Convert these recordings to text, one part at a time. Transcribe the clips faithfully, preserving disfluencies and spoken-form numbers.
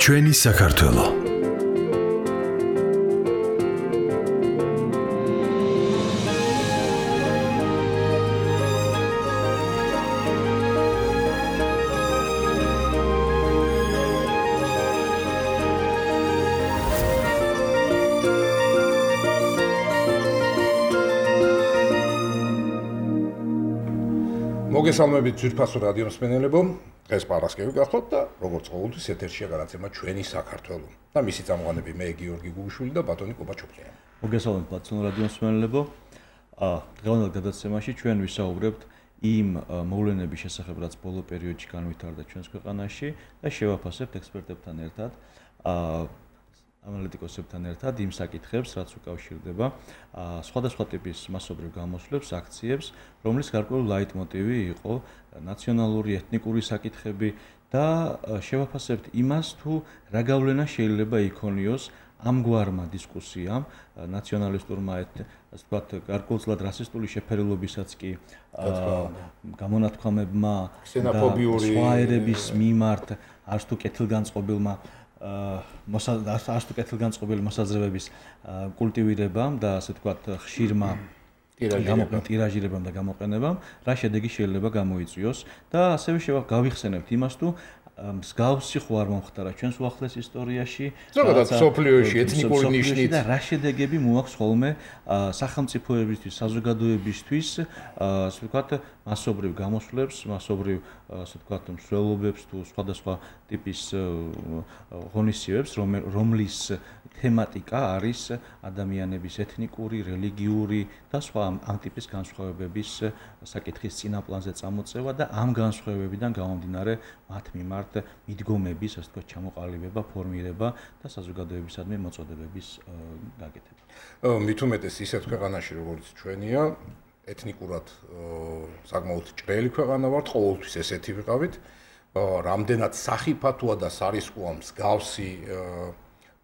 ჩვენი საქართველო. მოგესალმებით ძვირფასო რადიო მსმენელებო, დღეს პარასკევი გახლავთ და როგორც ყოველთვის ეთერშია გადაცემა ჩვენი საქართველო და მისი წამყვანები მე გიორგი გუგუშვილი და ბატონი კობაჩოკლიანი. მოგესალმებით ბატონო რადიო მსმენელებო. დღევანდელ გადაცემაში ჩვენ ვისაუბრებთ იმ მოვლენების შესახებ, რაც ბოლო პერიოდში განვითარდა ჩვენს ქვეყანაში და შევაფასებთ ექსპერტებთან ერთად, ანალიტიკოსებთან ერთად იმ საკითხებს, რაც უკავშირდება სხვადასხვა ტიპის მასობრივ გამოსვლებს, აქციებს, რომლის გარკვეული ლაიტმოტივი იყო ნაციონალური, ეთნიკური საკითხები და შევაფასებთ იმას, თუ რა გავლენა შეიძლება იქონიოს ამგვარმა დისკუსიამ, ნაციონალისტურმა, ასე ვთქვათ, გარკვეულწილად რასისტული შეფერილობისაც კი გამონათქვამებმა და სხვა ერების მიმართ არც თუ კეთილგანწყობილმა არც თუ კეთილგანწყობილი მოსაზრებების კულტივირებამ და ასე ვთქვათ, ხშირმა ტირაჟირებამ და გამოყენებამ, რა შედეგი შეიძლება გამოიწვიოს და ასევე გავიხსენებთ იმას, თუ მსგავსი ხო არ მომხდარა ჩვენს უახლეს ისტორიაში, ზოგადად სოფლიოში ეთნიკური ნიშნით და რა შედეგები მოაქვს ხოლმე სახელმწიფოებისთვის, საზოგადოებისთვის, ასე ვთქვათ, მასობრივ გამოსვლებს, მასობრივ, ასე ვთქვათ, მსვლელობებს თუ სხვადასხვა ტიპის ღონისძიებებს, რომლის თემატიკა არის ადამიანების ეთნიკური, რელიგიური და სხვა ამ ტიპის განსხვავებების საკითხის წინაპლანზე წამოწევა და ამ განსხვავებებიდან გამომდინარე მათ მიმართ მიდგომების, ასე ვთქვათ, ჩამოყალიბება, ფორმირება და საზოგადოებისადმი მოწოდებების გაკეთება. მით უმეტეს ისეთ ქვეყანაში, როგორც ჩვენია, ეთნიკურად საკმაოდ ჭრელი ქვეყანა ვართ, ყოველთვის ესეთი ვიყავით, რამდენად სახიფათოა და სარისკოა მსგავსი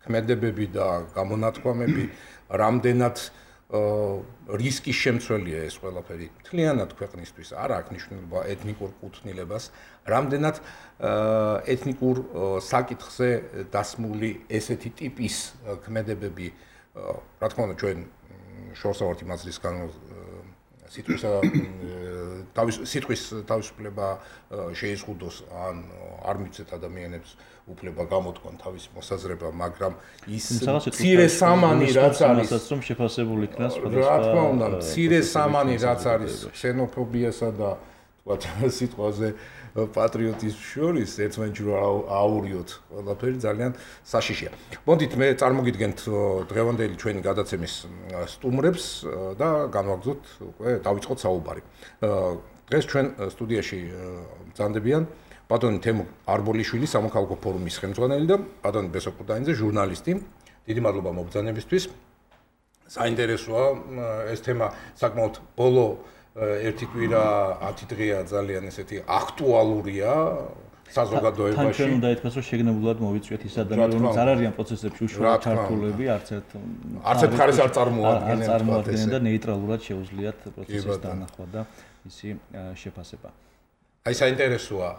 ქმედებები და გამონათქვამები, რამდენად რისკის შემცველია ეს ყველაფერი მთლიანად ქვეყნისთვის, არ აქვს მნიშვნელობა ეთნიკურ კუთვნილებას, რამდენად ეთნიკურ საკითხზე დასმული ესეთი ტიპის ქმედებები, რა თქმა უნდა, ჩვენ შორს ავართ იმ აზრისგან, სიტყვისა თავის სიტყვის თავისუფლება შეიზღუდოს ან არ მიცეთ ადამიანებს უფლება გამოთქვან თავის მოსაზრება, მაგრამ ის მცირე სამანი რაც არის, რომ შეფასებული იქნას რა თქმა უნდა, მცირე სამანი რაც არის ქსენოფობიასა და თქვათ სიტყვაზე პატრიოტიზმს შორის ერთმანეთში რა აურიოთ, ყველაფერი ძალიან საშიშია. მოდით მე წარმოგიდგენთ დღევანდელი ჩვენი გადაცემის სტუმრებს და განვაგრძოთ უკვე დავიწყოთ საუბარი. დღეს ჩვენ სტუდიაში ბრძანდებიან ბატონი თემურ არბოლიშვილი, სამოქალაქო ფორუმის ხელმძღვანელი და ბატონი ბესო კუდაინძე, ჟურნალისტი. დიდი მადლობა მობრძანებისთვის. საინტერესოა ეს თემა საკმაოდ ბოლო ერთი კვირა ათი დღეა ძალიან ესეთი აქტუალურია საზოგადოებაში. თან ჩვენ უნდა ითქვას, რომ შეგნებულად მოვიწვიეთ ის ადამიანები, რომლებიც არ არიან პროცესებში უშუალოდ ჩართულები, არც ერთ არც ერთ მხარეს არ წარმოადგენენ, არ წარმოადგენენ და ნეიტრალურად შეუძლიათ პროცესის დანახვა და ისი შეფასება. აი საინტერესოა,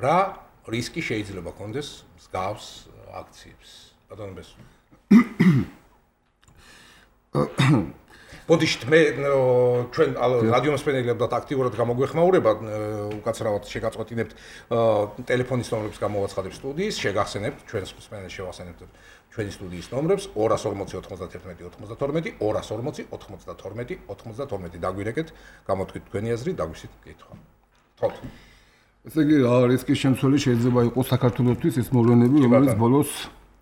რა რისკი შეიძლება კონდეს მსგავს აქციებს. ბატონო ბესო. მოდიშთ მე ჩვენ რადიო მსმენელებად აქტიურად გამოგვეხმაურება, უკაცრავად შეგაწყვეტინებთ ტელეფონის ნომრებს გამოვაცხადებ სტუდიის, შეგახსენებთ ჩვენს მსმენელს შევახსენებთ ჩვენი სტუდიის ნომრებს ორას ორმოცი ოცდაათი ოცდათორმეტი, ორას ორმოცი ოცდათორმეტი ოცდათორმეტი დაგვირეკეთ, გამოთქვით თქვენი აზრი, დაგვისვით კითხვა. თოთ. ესე იგი, რა რისკის შემცველი შეიძლება იყოს საქართველოსთვის ეს მოვლენები, რომელიც ბოლოს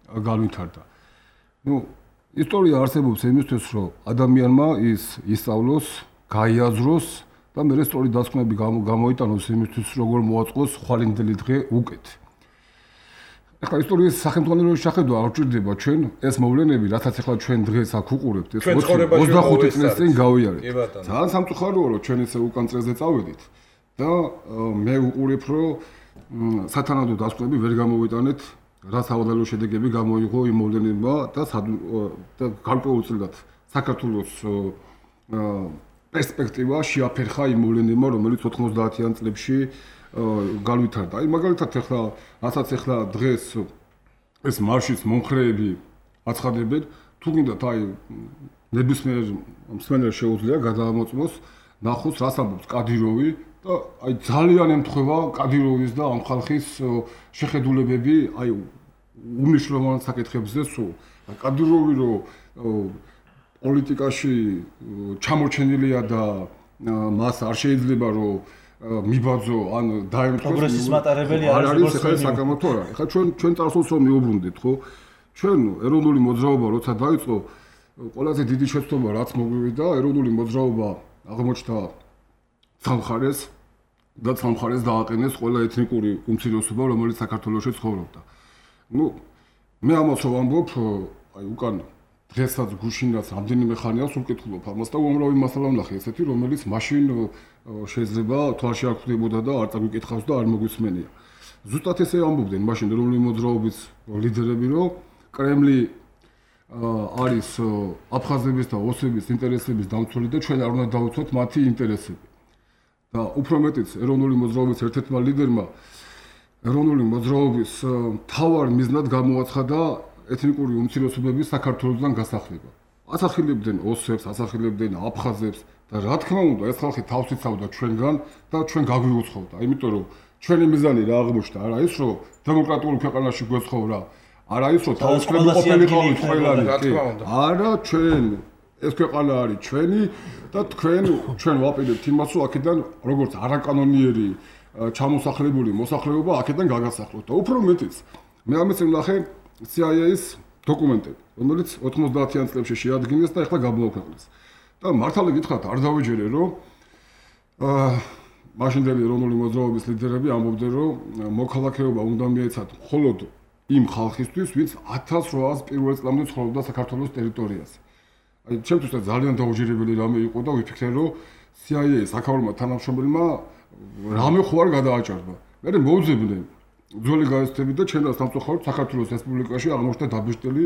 განვითარდა. ნუ ისტორია არსებობს იმისთვის, რომ ადამიანმა ის ისწავლოს, გაიაზროს და მე სწორი დასკვნები გამოიტანოს იმისთვის, როგორ მოაწყოს ხვალინდელი დღე უკეთ. ეხლა ისტორიის სახელმძღვანელოში შეხედვა არ ჭირდება ჩვენ ეს მოვლენები, რათაც ეხლა ჩვენ დღეს აქ უყურებთ, ეს ოცდახუთი წლის წინ გავიარეთ. ძალიან სამწუხაროა, რომ ჩვენ ესე უკან წელზე წავედით და მე უყურებ, რომ სათანადო დასკვნები ვერ გამოვიტანეთ, რა სავალალო შედეგები გამოიღო იმ მოვლენებმა და და გარკვეულწილად საქართველოს პერსპექტივა შეაფერხა იმ მოვლენებმა, რომელიც ოთხმოცდაათიან წლებში განვითარდა. აი მაგალითად ახლა, რასაც ახლა დღეს ეს მარშის მომხრეები აცხადებენ, თუ გინდათ აი ნებისმიერ მსმენელს შეუძლია გადაამოწმოს ნახოს რას ამბობს კადიროვი და აი ძალიან ემთხვევა კადიროვის და ამ ხალხის შეხედულებები აი უმნიშვნელოვანეს საკითხებზე სულ. კადიროვი რო პოლიტიკაში ჩამორჩენილია და მას არ შეიძლება რომ მიბაძო ან დაემთხოს პროგრესის მატარებელი არ არის ახლა საკამათო არა. ახლა ჩვენ ჩვენ წარსულს რომ მიუბრუნდით, ხო? ჩვენ ეროვნული მოძრაობა როცა დაიწყო, ყველაზე დიდი შეცდომა რაც მოგვივიდა, ეროვნული მოძრაობა აღმოჩნდა სამხარეს და სამხარეს დააყენეს ყველა ეთნიკური უმცირესობა, რომელიც საქართველოში ცხოვრობდა. ნუ მე ამას ვამბობ, აი უკან დღესაც გუშინაც რამდენიმე ხანია სულ კითხულობ ამას და უამრავი მასალა ვნახე ესეთი, რომელიც მაშინ შეიძლება თვალში არ ხვდებოდა და არ წაგვიკითხავს და არ მოგვისმენია. ზუსტად ესე ამბობდნენ მაშინ ეროვნული მოძრაობის ლიდერები, რომ კრემლი არის აფხაზების და ოსების ინტერესების დამცველი და ჩვენ არ უნდა დავუცოთ მათი ინტერესები. და უფრო მეტიც ეროვნული მოძრაობის ერთ-ერთმა ლიდერმა ეროვნული მოძრაობის მთავარ მიზნად გამოაცხადა ეთნიკური უმცირესობების საქართველოსთან გასახლება. ასახელებდნენ ოსებს, ასახელებდნენ აფხაზებს და რა თქმა უნდა ეს ხალხი თავს იცავდა ჩვენგან და ჩვენ გაგვიუცხოვდა. იმიტომ რომ ჩვენი მიზანი რა აღმოჩნდა, არა ის რომ დემოკრატიულ ქვეყანაში გვეცხოვრა, არა ის რომ თავისუფლები ყოფილი ყავით ყველანი, არა ჩვენ ეს ქვეყანა არის ჩვენი და თქვენ ჩვენ ვაპირებთ იმას რომ აქედან როგორც არაკანონიერი ჩამოსახლებული მოსახლეობა აქედან გაგასახლოთ და უფრო მეტიც მე ამას ვნახე C I A-ის დოკუმენტები, რომელიც ოთხმოცდაათიან წლებში შეადგინეს და ახლა გამოაქვეყნეს. და მართალი გითხრათ, არ დავეჯერე, რომ აა მაშინდელი ეროვნული მოძრაობის ლიდერები ამბობდნენ, რომ მოქალაქეობა უნდა მიეცათ მხოლოდ იმ ხალხისთვის, ვინც ათას რვაას პირველ წლამდე ცხოვრობდა საქართველოს ტერიტორიაზე. აი, ჩემთვის ძალიან დაუჯერებელი რამე იყო და ვიფიქრე, რომ C I A საქაურმა თანამშრომელმა რამე ხო არ გადააჭარბა. მე მოვძებნე ძველი გააცდები და ჩვენ და სამწუხაროდ საქართველოს რესპუბლიკაში აღმოჩნდა დაბეჭდილი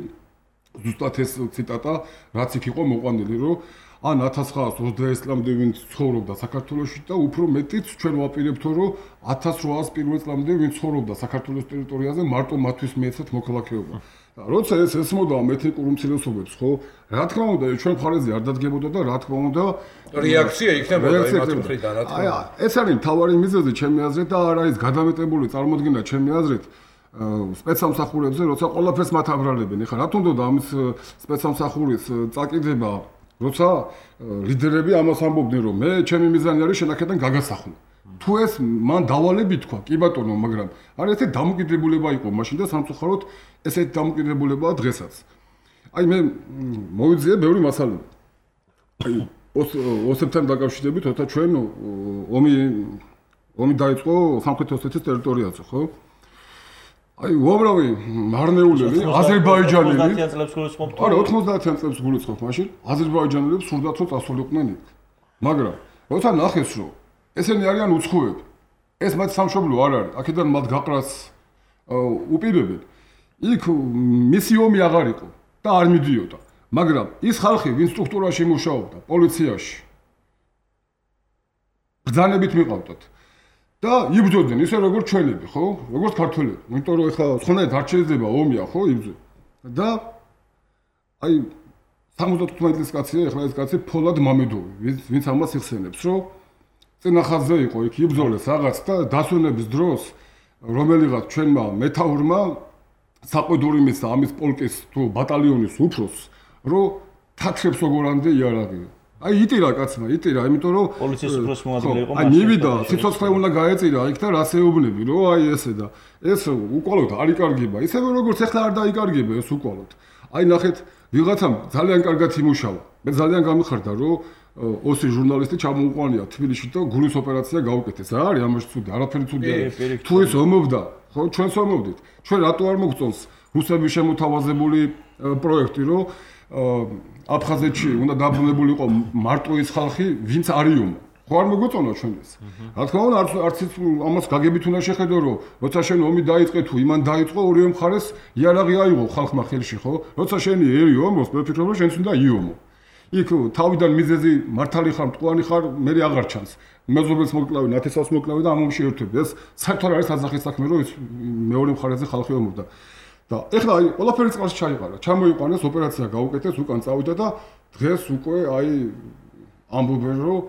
ზუსტად ეს ციტატა, რაც იქ იყო მოყვანილი, რომ ან ათას ცხრაას ოცდაექვსი წლამდე ვინც ცხოვრობდა საქართველოში და უფრო მეტიც ჩვენ ვაპირებთ, რომ ათას რვაას პირველ წლამდე ვინც ცხოვრობდა საქართველოს ტერიტორიაზე, მარტო მათთვის მიეცათ მოქალაქეობა. და როცა ეს ესმოდა ეთნიკურ უმცირესობებს, ხო, რა თქმა უნდა, ჩვენ მხარეზე არ დადგებოდა და რა თქმა უნდა რეაქცია იქნებოდა იმათ მხრიდან, რა თქმა უნდა. აი, ეს არის მთავარი მიზეზი ჩემი აზრით და არა ის გადამეტებული წარმოდგენა ჩემი აზრით სპეცსამსახურებზე, როცა ყველაფერს მათ აბრალებენ. ეხლა რა თქმა უნდა ამის სპეცსამსახურის წაკიდება, როცა ლიდერები ამას ამბობდნენ, რომ მე ჩემი მიზანი არის შენაკედან გაგასახლო. თუ ეს მან დავალები თქვა, კი ბატონო, მაგრამ არ ესეთი დამოკიდებულება იყო მაშინ და სამწუხაროდ ესეთი დამოკიდებულებაა დღესაც. აი მე მოვიძიე ბევრი მასალა. აი ოსებთან დაკავშირებით, როცა ჩვენ ომი ომი დაიწყო სამხრეთ ოსეთის ტერიტორიაზე, ხო? აი უამრავი მარნეულელი აზერბაიჯანელი ოთხმოცდაათიან წლებს გულისხმობთ. არა, ოთხმოცდაათიან წლებს გულისხმობ მაშინ აზერბაიჯანელებს სურდათ რომ წასულიყვნენ იქ. მაგრამ როცა ნახეს რომ ესენი არიან უცხოები, ეს მათ სამშობლო არ არის, აქედან მათ გაყრას უპირებენ. იქ მისი ომი აღარ იყო და არ მიდიოდა. მაგრამ ის ხალხი, ვინც სტრუქტურაში მუშაობდა, პოლიციაში ბრძანებით მიყავდათ და იბრძოდნენ ისე როგორც ჩვენები, ხო? როგორც ქართველები. იმიტომ რომ ეხლა სხვანაირად არ შეიძლება ომია, ხო, იბრძო. და აი სამოცდათოთხმეტი წლის კაცია, ეხლა ეს კაცი ფოლად მამედოვი, ვინც ამას იხსენებს, რომ წინახაზზე იყო იქ იბრძოლეს რაღაც და დასვენების დროს რომელიღაც ჩვენმა მეთაურმა საყვედური მისცა ამის პოლკის თუ ბატალიონის უფროსს, რომ თათრებს როგორამდე იარაღი. აი იტირა კაცმა, იტირა, იმიტომ რომ პოლიციის უფროსი მოადგილე იყო. აი მივიდა, სიცოცხლე უნდა გაეწირა იქ და რას ეუბნები, რომ აი ესე და ეს უკვალოდ არ იკარგება. ისევე როგორც ახლა არ დაიკარგება ეს უკვალოდ. აი ნახეთ, ვიღაცამ ძალიან კარგად იმუშავა. მე ძალიან გამიხარდა, რომ ოსი ჟურნალისტი ჩამოუყვანია თბილისში და გულის ოპერაცია გაუკეთეს. რა არის ამაში ცუდი? არაფერი ცუდი არ არის. თუ ის ომობდა, ხო, ჩვენს ომობდით. ჩვენ რატო არ მოგწონს რუსების შემოთავაზებული პროექტი, რომ აფხაზეთში უნდა დაბრუნებულიყო მარტო ის ხალხი, ვინც არიომა. ხო არ მოგწონა ჩვენ ეს. რა თქმა უნდა, არც არც ამას გაგებით უნდა შეხედო, რომ როცა შენ ომი დაიწყე თუ იმან დაიწყო ორივე მხარეს იარაღი აიღო ხალხმა ხელში, ხო? როცა შენი ერი ომოს, მე ვფიქრობ, რომ შენც უნდა იომო. იქ თავიდან მიზეზი მართალი ხარ, მტყუარი ხარ, მე აღარ ჩანს. მეზობელს მოკლავი, ნათესავს მოკლავი და ამ ომში ერთვები. ეს საერთოდ არის ასახის საქმე, რომ ის მეორე მხარეზე ხალხი ომობდა. და ეხლა აი ყველაფერი წყალში ჩაიყარა. ჩამოიყვანეს, ოპერაცია გაუკეთეს, უკან წავიდა და დღეს უკვე აი ამბობენ, რომ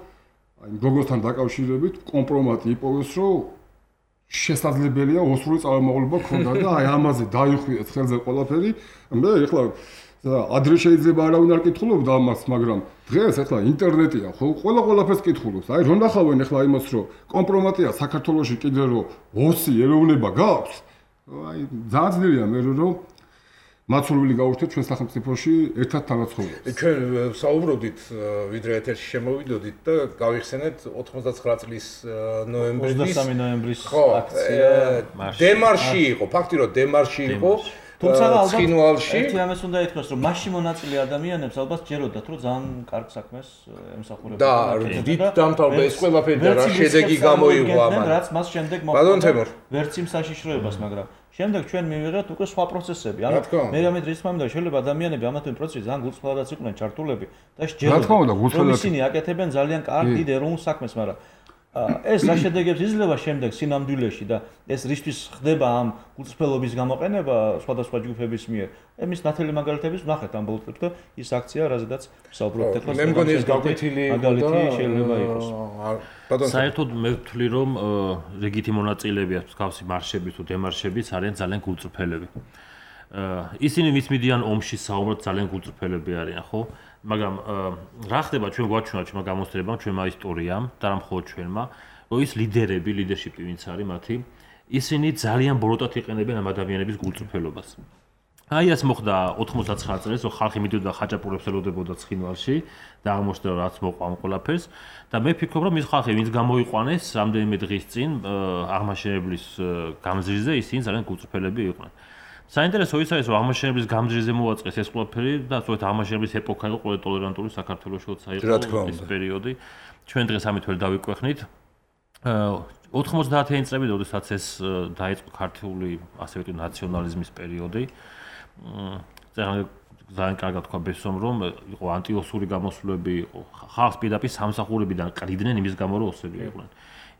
აი გოგოსთან დაკავშირებით კომპრომატი იპოვეს, რომ შესაძლებელია ოსური წარმომავლობა ქონდა და აი ამაზე დაიხვიეს ხელზე ყველაფერი. მე ეხლა ადრე შეიძლება არავინ არ კითხულობდა ამას, მაგრამ დღეს ეხლა ინტერნეტია, ხო, ყველა ყველაფერს კითხულობს. აი რომ ნახავენ ეხლა იმას, რომ კომპრომატია საქართველოში კიდე რომ ოსი ეროვნება გაქვს, აი ძალიან ძნელია მე რომ მაცურვილი გავუშვით ჩვენ სახელმწიფოში ერთად თანაცხოვრებას. ჩვენ საუბრობდით, ვიდრე ეთერში შემოვიდოდით და გავიხსენეთ ოთხმოცდაცხრა წლის ნოემბრის ოცდამეტი ნოემბრის აქცია დემარში იყო, ფაქტი რომ დემარში იყო. თუმცა ალბათ ერთი ამას უნდა ითქვას, რომ მასში მონაწილე ადამიანებს ალბათ ჯეროდათ, რომ ძალიან კარგ საქმეს ემსახურებოდნენ. და დიდ დამთავრდა ეს ყველაფერი და რა შედეგი გამოიღო ამან. რაც მას შემდეგ მოხდა. ვერც იმ საშიშროებას, მაგრამ შემდეგ ჩვენ მივიღეთ უკვე სხვა პროცესები. ანუ მე რამე დღის მომენტში შეიძლება ადამიანები ამათი პროცესი ძალიან გულწრფელადაც იყვნენ ჩართულები და შეჯერებდნენ. რომ ისინი აკეთებენ ძალიან კარგ დიდ ეროვნულ საქმეს, მაგრამ ეს რა შედეგებს იძლევა შემდეგ სინამდვილეში და ეს რისთვის ხდება ამ გულწრფელობის გამოყენება სხვადასხვა ჯგუფების მიერ. ემის ნათელი მაგალითების ვნახეთ ამ ბოლოტებს და ის აქცია, რაზედაც ვსაუბრობთ ახლა. მე მგონი ეს გაკვეთილი მაგალითი შეიძლება იყოს. საერთოდ მე ვთვლი, რომ რიგითი მონაწილეები მსგავსი მარშები თუ დემარშებიც არიან ძალიან გულწრფელები. ისინი მის მიდიან ომში საუბრობთ ძალიან გულწრფელები არიან, ხო? მაგრამ რა ხდება ჩვენ გვაჩვენა ჩვენმა გამოცდილებამ, ჩვენმა ისტორიამ და რა მხოლოდ ჩვენმა, რომ ის ლიდერები, ლიდერშიპი ვინც არის მათი, ისინი ძალიან ბოროტად იყენებენ ამ ადამიანების გულწრფელობას. აი ეს მოხდა ოთხმოცდაცხრა წელს, რომ ხალხი მიდიოდა ხაჭაპურებს ელოდებოდა ცხინვალში და აღმოჩნდა რომ რაც მოყვა ამ ყველაფერს და მე ფიქრობ, რომ ის ხალხი ვინც გამოიყვანეს რამდენიმე დღის წინ აღმაშენებლის გამზირზე, ისინი ძალიან გულწრფელები იყვნენ. საინტერესო ის არის, რომ აღმაშენებლის გამზირზე მოაწყეს ეს ყველაფერი და სწორედ აღმაშენებლის ეპოქა იყო ყველა ტოლერანტული საქართველოში, როცა იყო ეს პერიოდი. ჩვენ დღეს ამით ვერ დავიკვეხნით. ოთხმოცდაათიანი წლები, როდესაც ეს დაიწყო ქართული ასე ვთქვათ ნაციონალიზმის პერიოდი. ძალიან კარგად თქვა ბესომ, რომ იყო ანტიოსური გამოსვლები, იყო ხალხს პირდაპირ სამსახურებიდან ყრიდნენ იმის გამო, რომ ოსები იყვნენ.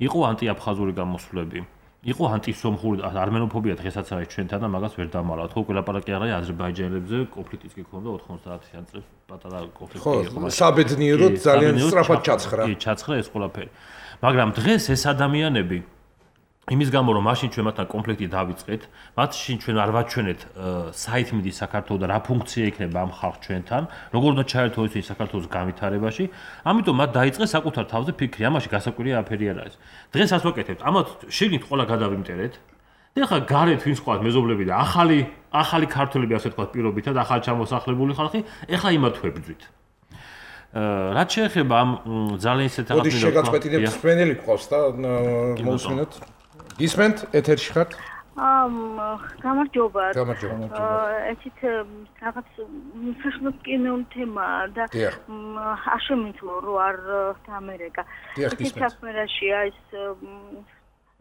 იყო ანტიაფხაზური გამოსვლები. იყო ანტისომხური არმენოფობია დღესაც არის ჩვენთან და მაგას ვერ დამალავთ. ხო, ყველაპარაკი არა აზერბაიჯანელებზე, კონფლიქტიც კი ქონდა ოთხმოცდაათიან წლებს, პატარა კონფლიქტი იყო. ხო, საბედნიეროდ ძალიან სწრაფად ჩაცხრა. კი, ჩაცხრა ეს ყველაფერი. მაგრამ დღეს ეს ადამიანები იმის გამო რომ მაშინ ჩვენ მათთან კონფლიქტი დავიწყეთ, მათში ჩვენ არ ვაჩვენეთ საით მიდის საქართველოს და რა ფუნქცია იქნება ამ ხალხ ჩვენთან, როგორ უნდა ჩაერთო ისინი საქართველოს განვითარებაში, ამიტომ მათ დაიწყეს საკუთარ თავზე ფიქრი, ამაში გასაკვირია აფერი არ არის. დღეს ასე ვაკეთებთ, ამათ შიგნით ყველა გადავიმტერეთ. და ახლა გარეთ ვინც ყავთ მეზობლები და ახალი ახალი ქართველები ასე ვთქვათ პირობითად, ახალ ჩამოსახლებული ხალხი, ახლა იმათ ვებძვით. რაც შეეხება ამ ძალიან ისეთ რაღაცებს, მოდი შეგაწყვეტინებთ სპენელი გყავს და მოусმინოთ. ისმენთ ეთერში ხართ? აა გამარჯობა. გამარჯობა. ესეთ რაღაც მსახიობ კინოული თემაა და არ შემიძლია რომ არ ამერიკა. ეს საფრენაში ეს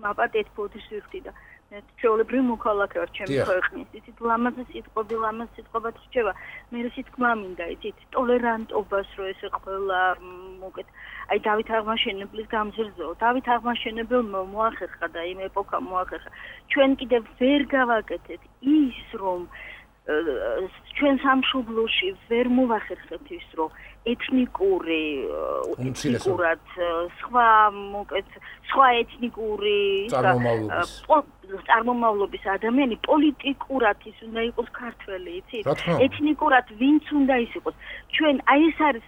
მაპატეთ ფოტოს ვიხდი და ჩვეულებრივი მოქალაქე ვარ ჩემი ქვეყნის. იცით ლამაზი სიტყვები, ლამაზი სიტყვებად რჩება. მე რითქმა მინდა, იცით, ტოლერანტობას რო ეს ყველა მოკეთ. აი დავით აღმაშენებლის გამზირზეო. დავით აღმაშენებელმა მოახერხა და იმ ეპოქა მოახერხა. ჩვენ კიდევ ვერ გავაკეთეთ ის რომ ჩვენ სამშობლოში ვერ მოვახერხეთ ის რომ ეთნიკური ეთნიკურად სხვა მოკეთ სხვა ეთნიკური წარმომავლობის ადამიანი პოლიტიკურად ის უნდა იყოს ქართველი, იცით? ეთნიკურად ვინც უნდა ის იყოს. ჩვენ აი ეს არის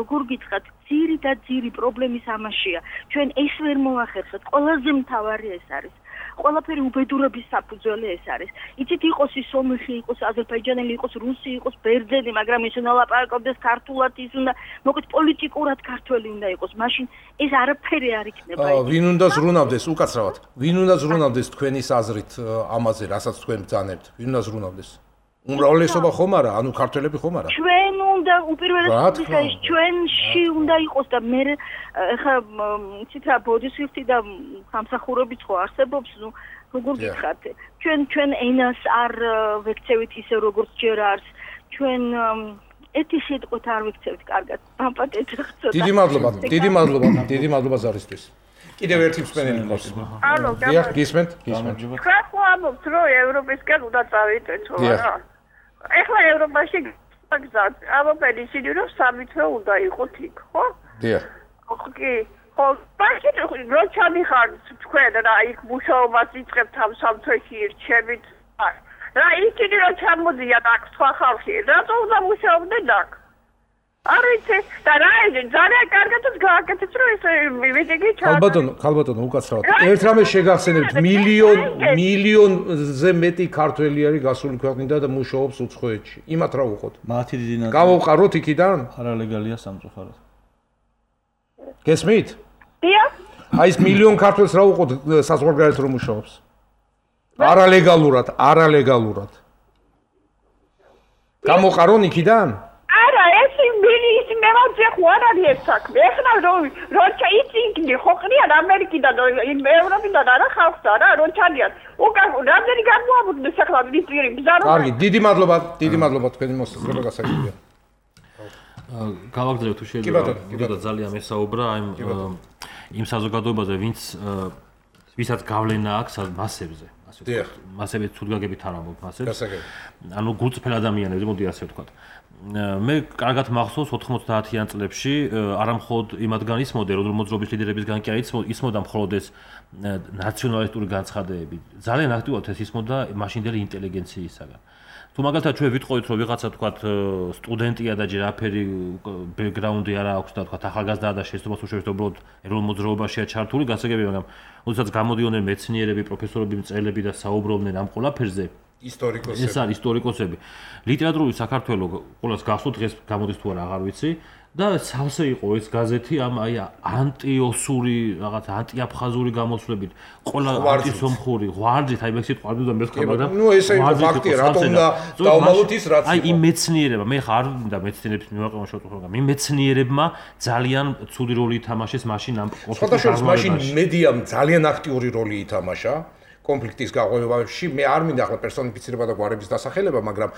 როგორ გითხრათ, ძირი და ძირი პრობლემის ამაშია. ჩვენ ეს ვერ მოვახერხეთ. ყველაზე მთავარი ეს არის. ყველაფერი უბედურების საფუძველი ეს არის. იცით იყოს ის სომეხი, იყოს აზერბაიჯანელი, იყოს რუსი, იყოს ბერძენი, მაგრამ ის უნდა ლაპარაკობდეს ქართულად, ის უნდა მოკეთ პოლიტიკურად ქართველი უნდა იყოს. მაშინ ეს არაფერი არ იქნება. ვინ უნდა ზრუნავდეს უკაცრავად? ვინ უნდა ზრუნავდეს თქვენის აზრით ამაზე, რასაც თქვენ ბრძანებთ? ვინ უნდა ზრუნავდეს? უმრავლესობა ხომ არა, ანუ ქართველები ხომ არა? ჩვენ უნდა უპირველეს ჩვენში უნდა იყოს და მე ხა იცით რა ბოდისვიფტი და სამსახურებიც ხო არსებობს, ნუ როგორ გითხრათ, ჩვენ ჩვენ ენას არ ვექცევით ისე როგორც ჯერ არის. ჩვენ ეთი სიტყვით არ ვიქცევთ კარგად. მაპატეთ ხწოდა. დიდი მადლობა, დიდი მადლობა, დიდი მადლობა ზარისთვის. კიდევ ერთი მსმენელი ყავს. ალო, დიახ, გისმენთ, გისმენთ. ხახო ამბობთ, რომ ევროპისკენ უნდა წავიდეთ, ხო არა? ეხლა ევროპაში გზად, ამბობენ ისინი, რომ სამი თვე უნდა იყოთ იქ, ხო? დიახ. კი. ხო, ბაშეთ რო ჩამიხარ თქვენ რა იქ მუშაობას იწყებთ ამ სამ თვეში ირჩევით. რა ისინი რო ჩამოდიან აქ სხვა ხალხი, რატო უნდა მუშაობდნენ აქ? არ იცი, და რა იცი, ძალიან კარგად გააკეთეთ, რომ ეს მიტინგი ჩაატარეს. ხალბატონო, ხალბატონო, უკაცრავად. ერთ რამე შეგახსენებთ, მილიონ მილიონზე მეტი ქართველი არის გასული ქვეყნიდან და მუშაობს უცხოეთში. იმათ რა უყოთ? მათი დიდი ნაწილი გავავყაროთ იქიდან? არალეგალია სამწუხაროდ. გესმით? დიახ. აი ეს მილიონ ქართველს რა უყოთ საზღვარგარეთ რომ მუშაობს? არალეგალურად, არალეგალურად. გამოყარონ იქიდან? არა, ეს მილის მემოძე ხო არ არის ეს საქმე. ეხლა რომ რო ჩაიწინგდი ხო ყრიან ამერიკიდან, ევროპიდან არა ხალხსა რა, რო ჩადიან. უკან რამდენი გამოაბუდეს ახლა მიწირი ბზარო. კარგი, დიდი მადლობა, დიდი მადლობა თქვენი მოსაზრება გასაგებია. გავაგრძელებთ თუ შეიძლება. კიდევ ძალიან მესაუბრა აი იმ საზოგადოებაზე, ვინც ვისაც გავლენა აქვს მასებზე. დიახ. მასები თუდგაგებით არ ამბობ მასებს. გასაგები. ანუ გულწრფელ ადამიანებზე, მოდი ასე ვთქვათ. მე კარგად მახსოვს ოთხმოცდაათიან წლებში არა მხოლოდ იმადგან ისმოდა რომ მოძრაობის ლიდერებისგან კი არ ისმოდა მხოლოდ ეს ნაციონალისტური განცხადებები. ძალიან აქტიურად ეს ისმოდა მაშინდელი ინტელიგენციისაგან. თუ მაგალითად ჩვენ ვიტყოდით რომ ვიღაცა თქვათ სტუდენტია და ჯერ აფერი ბექგრაუნდი არა აქვს და თქვათ ახალგაზრდაა და შეცდომას უშევს უბრალოდ ეროვნულ მოძრაობაშია ჩართული გასაგებია მაგრამ როდესაც გამოდიოდნენ მეცნიერები პროფესორები მწერლები და საუბრობდნენ ამ ყველაფერზე ისტორიკოსები ეს არის ისტორიკოსები ლიტერატურული საქართველოს ყოველს გახსოვთ დღეს გამოდის თუ არა აღარ ვიცი და სავსე იყო ეს გაზეთი ამ აი ანტიოსური რაღაც ანტიაფხაზური გამოსვლებით ყველა ანტისომხური ღვარდით აი მე სიტყვა არ მეთქვა მაგრამ ნუ ესე იყო ფაქტია რატომ უნდა დავმალოთ ის რაც აი იმ მეცნიერებმა მე ხარ და მეცნიერებს მივაყენო მაგრამ იმ მეცნიერებმა ძალიან ცუდი როლი ითამაშეს მაშინ ამ კონფლიქტის მაშინ მედიამ ძალიან აქტიური როლი ითამაშა კონფლიქტის გაღვივებაში მე არ მინდა ახლა პერსონიფიცირება და გვარების დასახელება, მაგრამ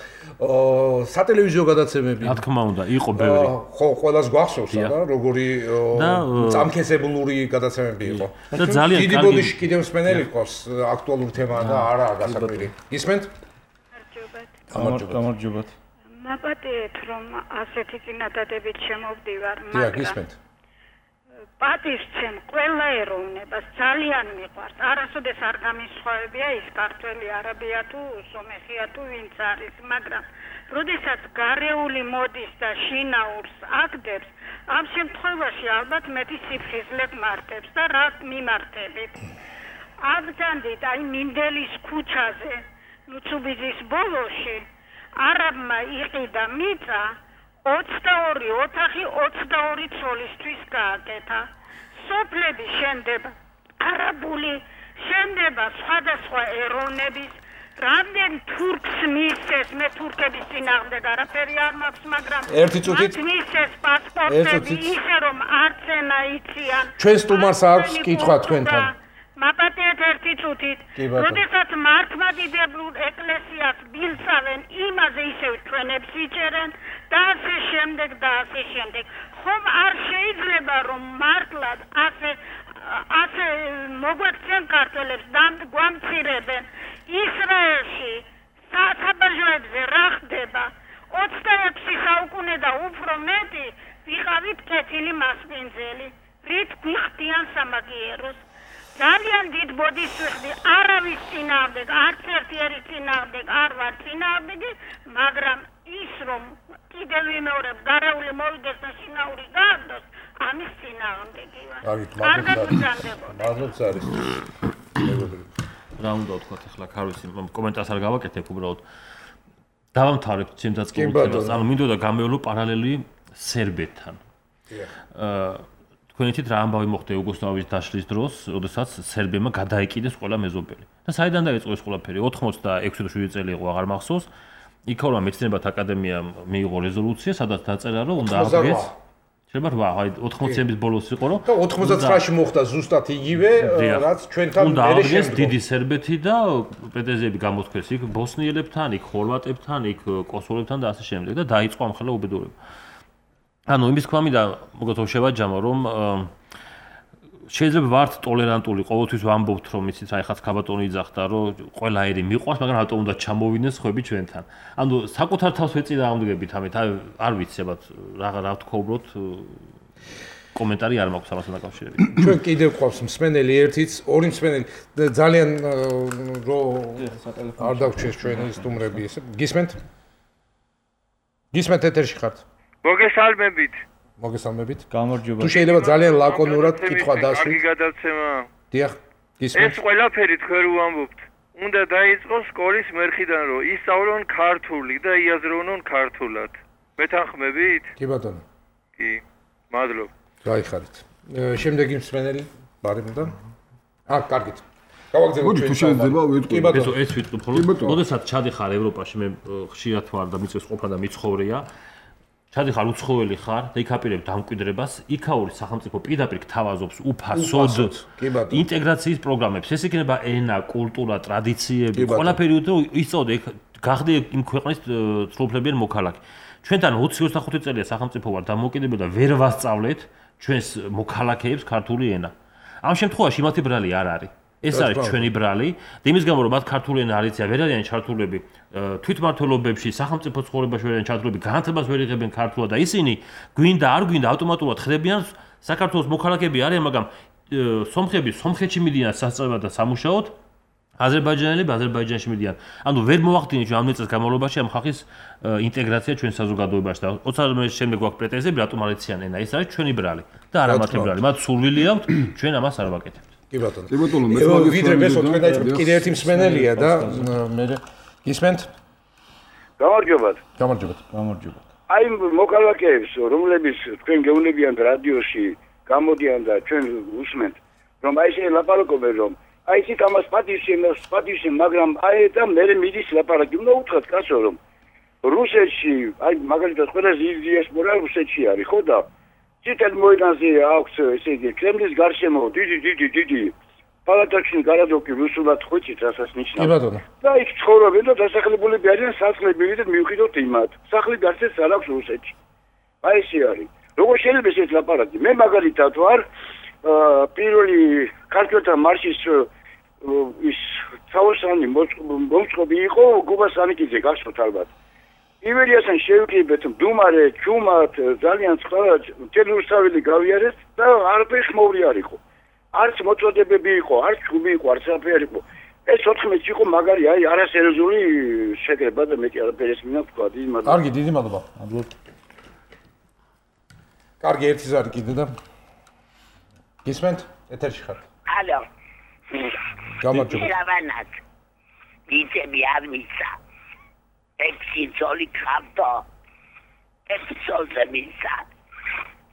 სატელევიზიო გადაცემები რა თქმა უნდა იყო ბევრი. ხო, ყველას გვახსოვს და როგორი წამქესებლური გადაცემები იყო. და ძალიან დიდი ბოდიში კიდევ მსმენელი ყავს აქტუალური თემაა და არა გასაკვირი. გისმენთ? გამარჯობათ. გამარჯობათ. მაპატიეთ რომ ასეთი წინადადებით შემოვდივარ, მაგრამ დიახ, გისმენთ. პატივცემ ყველა ეროვნებას ძალიან მიყვარს. არასოდეს არ გამისხვავებია ის ქართველი, არაბია თუ სომეხია თუ ვინც არის, მაგრამ როდესაც გარეული მოდის და შინაურს აგდებს, ამ შემთხვევაში ალბათ მეტი სიფხიზლე მარტებს და რა მიმართებით. აბძანდით აი მინდელის ქუჩაზე, ნუცუბიძის ბოლოში არაბმა იყიდა მიწა ოცდაორი ოთახი ოცდაორი ცოლისთვის გააკეთა. სოფლები შენდება არაბული, შენდება სხვადასხვა ეროვნების, რამდენ თურქს მისცეს, მე თურქების წინააღმდეგ არაფერი არ მაქვს, მაგრამ ერთი წუთით მისცეს პასპორტები ისე რომ არც ენა იციან. ჩვენ სტუმარს აქვს კითხვა თქვენთან. მაპატიეთ ერთი წუთით. როდესაც მართლმადიდებლურ ეკლესიას ბილწავენ, იმაზე ისევ ჩვენებს იჭერენ და ასე შემდეგ და ასე შემდეგ. ხომ არ შეიძლება რომ მართლად ასე ასე მოგვექცენ ქართველებს და გვამცირებენ. ისრაელში საბაჟოებზე რა ხდება? ოცდაექვსი საუკუნე და უფრო მეტი ვიყავით კეთილი მასპინძელი. რით გვიხდიან სამაგიეროს? ძალიან დიდ ბოდიშს ვიხდი, არავის წინააღმდეგ, არც ერთი ერის წინააღმდეგ არ ვარ წინააღმდეგი, მაგრამ ის რომ კიდევ ვიმეორებ, გარეული მოვიდეს და შინაური გააგდოს, ამის წინააღმდეგი ვარ. კარგად ვიზამდებოდი. მადლობს არის. რა უნდა ვთქვათ ახლა, ხარ ვიცი, კომენტარს არ გავაკეთებ უბრალოდ. დავამთავრებთ ჩემთაც კითხულებას, ანუ მინდოდა გამევლო პარალელი სერბეთთან. აა თქვენ იცით რა ამბავი მოხდა იუგოსლავიის დაშლის დროს, როდესაც სერბებმა გადაეკიდეს ყველა მეზობელი. და საიდან დაიწყო ეს ყველაფერი? ოცდაექვსი თუ შვიდი წელი იყო, აღარ მახსოვს. იქაურმა მეცნიერებათა აკადემიამ მიიღო რეზოლუცია, სადაც დაწერა, რომ უნდა აღდგეს შეიძლება რა, აი ოთხმოციანების ბოლოს იყო, რომ და ოთხმოცდათსამში მოხდა ზუსტად იგივე, რაც ჩვენთან მერე შემდგომ. დიდი სერბეთი და პრეტენზიები გამოთქვეს იქ ბოსნიელებთან, იქ ხორვატებთან, იქ კოსოვოლებთან და ასე შემდეგ და დაიწყო ამხელა უბედურება. ანუ იმის თქვა მინდა მოგეთხოვ შევაჯამო, რომ შეიძლება ვართ ტოლერანტული, ყოველთვის ვამბობთ, რომ იცით, აი ხაც ქაბატონი იძახდა, რომ ყველა ერი მიყვარს, მაგრამ რატომ უნდა ჩამოვიდნენ სხვები ჩვენთან. ანუ საკუთარ თავს ვეწი და ამდგებით ამით, აი არ ვიცი, აბათ რა რა თქვა უბრალოდ კომენტარი არ მაქვს ამასთან დაკავშირებით. ჩვენ კიდევ გვყავს მსმენელი ერთიც, ორი მსმენელი ძალიან რო არ დავჩეს ჩვენი სტუმრები ესე. გისმენთ? გისმენთ ეთერში ხართ? მოგესალმებით. მოგესალმებით. გამარჯობა. თუ შეიძლება ძალიან ლაკონურად კითხვა დასვით. კარგი გადაცემა. დიახ, გისმენთ. ეს ყველაფერი თქვენ რო ვამბობთ. უნდა დაიწყოს სკოლის მერხიდან, რომ ისწავლონ ქართული და იაზროვნონ ქართულად. მეთანხმებით? კი ბატონო. კი. მადლობ. გაიხარით. შემდეგი მსმენელი ბარემიდან. აა, კარგით. გავაგზავნოთ მოდი თუ შეიძლება ვეთქვი. კი ბატონო. ეს ვიტყვი მხოლოდ. როდესაც ჩადიხარ ევროპაში, მე ხშირად ვარ და მიწევს ყოფნა და მიცხოვრია. ჩადიხარ უცხოელი ხარ და იქაპირებ დამკვიდრებას, იქაური სახელმწიფო პირდაპირ გთავაზობს უფასოდ ინტეგრაციის პროგრამებს. ეს იქნება ენა, კულტურა, ტრადიციები, ყველაფერი უნდა ისწავლო, გახდე იმ ქვეყნის სრულუფლებიანი მოქალაქე. ჩვენთან ოცი ოცდახუთი წელია სახელმწიფო ვარ დამოუკიდებელ და ვერ ვასწავლეთ ჩვენს მოქალაქეებს ქართული ენა. ამ შემთხვევაში მათი ბრალი არ არის. ეს არის ჩვენი ბრალი და იმის გამო რომ მათ ქართული ენა არ იციან, ვერ არიან ჩართულები თვითმმართველობებში, სახელმწიფო ცხოვრებაში ვერ არიან ჩართულები, განათლებას ვერ იღებენ ქართულად და ისინი გვინდა არ გვინდა ავტომატურად ხდებიან საქართველოს მოქალაქეები არიან, მაგრამ სომხები სომხეთში მიდიან სასწავლებლად და სამუშაოდ, აზერბაიჯანელები აზერბაიჯანში მიდიან. ანუ ვერ მოვახდინეთ ამ წელს განმავლობაში ამ ხალხის ინტეგრაცია ჩვენ საზოგადოებაში და ოცდაათი წლის შემდეგ გვაქვს პრეტენზიები, რატომ არ იციან ენა. ეს არის ჩვენი ბრალი და არა მათი ბრალი. მათ სურვილი აქვთ, ჩვენ ამას არ ვაკეთებთ. კი ბატონო. კი ბატონო, მე ვიდრე მესო თქვენ დაიწყოთ კიდე ერთი მსმენელია და მე გისმენთ? გამარჯობათ. გამარჯობათ. გამარჯობა. აი მოქალაქეებს, რომლებიც თქვენ გეუნებიან რადიოში, გამოდიან და ჩვენ უსმენთ, რომ აი ესე ლაპარაკობენ, რომ აი ისიც ამას პატივში, პატივში, მაგრამ აი და მე მიდის ლაპარაკი. უნდა უთხრათ კაცო, რომ რუსეთში, აი მაგალითად ყველაზე დიდი დიასპორა რუსეთში არის, ხო და ციტელ მოედანზე აქვს ესე იგი კრემლის გარშემო დიდი დიდი დიდი პალატაში გარადოქი რუსულად ხვიცით რასაც ნიშნავს. კი ბატონო. და იქ ცხოვრობენ და დასახლებულები არიან სასახლეები და მივხვდით იმათ. სახლი გარშემო არ აქვს რუსეთში. აი ესე არის. როგორ შეიძლება ეს ლაპარაკი? მე მაგალითად ვარ პირველი ქართველთა მარშის ის თავოსანი მომწყობი იყო გუბას ანიკიძე გახსოვთ ალბათ. ივერიასთან შევიკრიბეთ მდუმარე, ჩუმად, ძალიან წყარა თელურსავილი გავიარეთ და არაფერი ხმოვრი არ იყო. არც მოწოდებები იყო, არც ჩუბი იყო, არც არაფერი იყო. ეს ოთხმეტი იყო მაგარი, აი არასერიოზული შეკრება და მეტი არაფერი ეს მინდა ვთქვა, დიდი მადლობა. კარგი, დიდი მადლობა. კარგი, ერთი ზარი კიდე და გისმენთ? ეთერში ხართ. ალო. გამარჯობა. რავანად. დიძები არ მისცა. ექვსი ძოლი ხავდო. ექვსი ძოლზე მისცა.